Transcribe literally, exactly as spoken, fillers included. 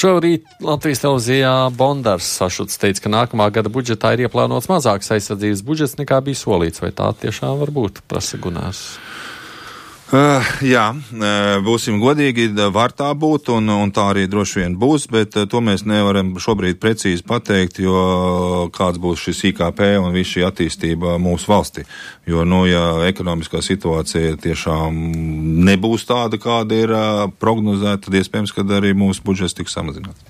Šorīt Latvijas televīzijā Bondars Sašuts teica, ka nākamā gada budžetā ir ieplānots mazāks aizsardzības budžets nekā bija solīts. Vai tā tiešām var būt, prasa Gunārs? Uh, jā, būsim godīgi, var tā būt, un, un tā arī droši vien būs, bet to mēs nevaram šobrīd precīzi pateikt, jo kāds būs šis I K P un viss šī attīstība mūsu valstī. Jo, nu, ja ekonomiskā situācija tiešām nebūs tāda, kāda ir prognozēta, tad iespējams, ka arī mūsu budžets tiks samazināts.